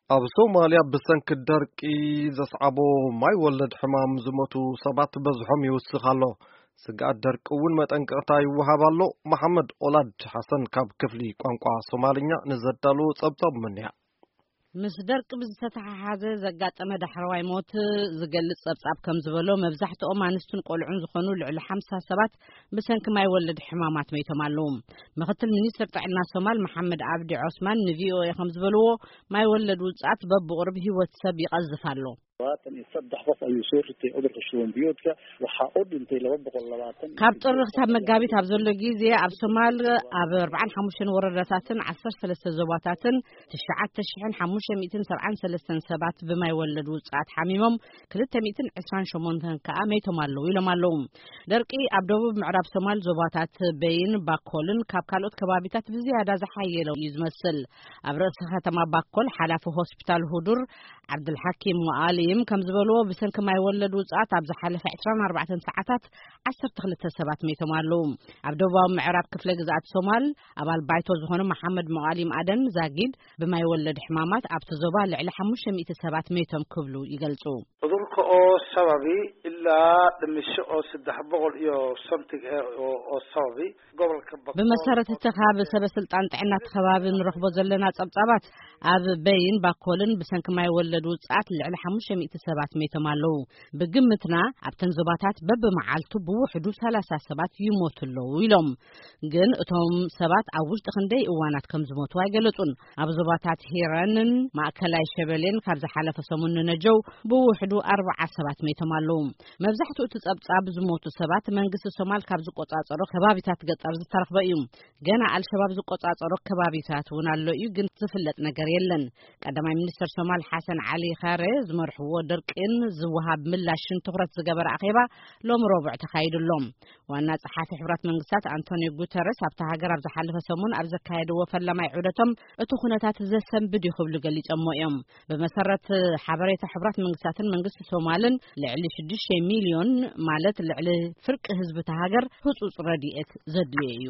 ኣብ ሶማልያ ብሰንኪ ደርቂ ዘስዓቦ ማይ ወለድ ሕማም ዝሞቱ ሰባት በዝሖም ይውስኽ ኣሎ። ስግኣት ደርቂ እውን መጠንቀቕታ ይወሃብ ኣሎ። መሓመድ ኦላድ ሓሰን ካብ ክፍሊ ቋንቋ ሶማልኛ ንዘዳለዎ ጸብጻብ መንያ። ምስ ደርቂ ብዝተተሓሓዘ ዘጋጠመ ዳሕረዋይ ሞት ዝገልጽ ጸብጻብ ከም ዝበሎ፣ መብዛሕትኦም ኣንስትን ቆልዑን ዝኾኑ ልዕሊ ሓምሳ ሰባት ብሰንኪ ማይ ወለድ ሕማማት መይቶም ኣለዉ። ምኽትል ሚኒስትር ጥዕና ሶማል መሓመድ ኣብዲ ዖስማን ንቪኦኤ ከም ዝበልዎ፣ ማይ ወለድ ውጽኣት በብቑርብ ህይወት ሰብ ይቐዝፍ ኣሎ። Todobaatan iyo saddex qof ayuu soo ritay cudurka shuban biyoodka. Waxaa u dhintay laba boqol labaatan. ካብ ጥሪ ክሳብ መጋቢት ኣብ ዘሎ ግዜ ኣብ ሶማል ኣብ ኣርባዓን ሓሙሽተን ወረዳታትን ዓሰርተ ሰለስተ ዞባታትን ትሽዓተ ሽሕን ሓሙሽተ ሚእትን ሰብዓን ሰለስተን ሰባት ብማይ ወለድ ውጽኣት ሓሚሞም፣ ክልተ ሚእትን ዕስራን ሸሞንተን ከኣ መይቶም ኣለዉ ኢሎም ኣለዉ። ደርቂ ኣብ ደቡብ ምዕራብ ሶማል ዞባታት በይን ባኮልን ካብ ካልኦት ከባቢታት ብዝያዳ ዝሓየለ እዩ ዝመስል። ኣብ ርእሲ ከተማ ባኮል ሓላፊ ሆስፒታል ሁዱር ዓብዱልሓኪም ሙኣሊም ከም ዝበልዎ፣ ብሰንኪ ማይ ወለድ ውጽኣት ኣብ ዝሓለፈ ዕስራን ኣርባዕተን ሰዓታት ዓሰርተ ክልተ ሰባት መይቶም ኣለዉ። ኣብ ደቡባዊ ምዕራብ ክፍለ ግዝኣት ሶማል ኣባል ባይቶ ዝኾኑ መሓመድ ሙኣሊም ኣደን ዛጊድ ብማይ ወለድ ሕማማት ኣብቲ ዞባ ልዕሊ ሓሙሽተ ሚእቲ ሰባት መይቶም ክብሉ ይገልጹ። Cudurka oo sababi ilaa dhimasho oo saddex boqol iyo something eh oo oo sababi gobolka Bakool. ብመሰረት እቲ ካብ ሰበ ስልጣን ጥዕና እቲ ከባቢ ንረኽቦ ዘለና ጸብጻባት፣ ኣብ በይን ባኮልን ብሰንኪ ማይ ወለድ ውጽኣት ልዕሊ ሓሙሽተ ሚእቲ ሰባት መይቶም ኣለዉ። ብግምትና ኣብተን ዞባታት በብመዓልቱ ብውሕዱ ሰላሳ ሰባት ይሞቱ ኣለዉ ኢሎም። ግን እቶም ሰባት ኣብ ውሽጢ ክንደይ እዋናት ከም ዝሞቱ ኣይገለጹን። ኣብ ዞባታት ሂረንን ማእከላይ ሸበሌን ካብ ዝሓለፈ ሰሙን ንነጀው ብውሕዱ ኣርብዓ ሰባት መይቶም ኣለዉ። መብዛሕትኡ እቲ ጸብጻብ ዝሞቱ ሰባት መንግስቲ ሶማል ካብ ዝቆጻጸሮ ከባቢታት ገጠር ዝተረኽበ እዩ። ገና ኣልሸባብ ዝቆጻጸሮ ከባቢታት እውን ኣሎ እዩ፣ ግን ዝፍለጥ ነገር የለን። ቀዳማይ ሚኒስትር ሶማል ሓሰን ዓሊ ኻሬ ዝመርሕዎ ድርቂን ዝወሃብ ምላሽን ትኹረት ዝገበረ ኣኼባ ሎሚ ረቡዕ ተኻይዱ ኣሎ። ዋና ጸሓፊ ሕቡራት መንግስታት ኣንቶኒዮ ጉተረስ ኣብታ ሃገር ኣብ ዝሓለፈ ሰሙን ኣብ ዘካየድዎ ፈላማይ ዑደቶም፣ እቲ ኩነታት ዘሰንብድ እዩ ክብሉ ገሊጾሞ እዮም። ብመሰረት ሓበሬታ ሕቡራት መንግስታትን መንግስቲ ሶማልን፣ ልዕሊ ሽዱሽተ ሚልዮን፣ ማለት ልዕሊ ፍርቂ ህዝቢ እታ ሃገር፣ ህጹጽ ረድኤት ዘድልዮ እዩ።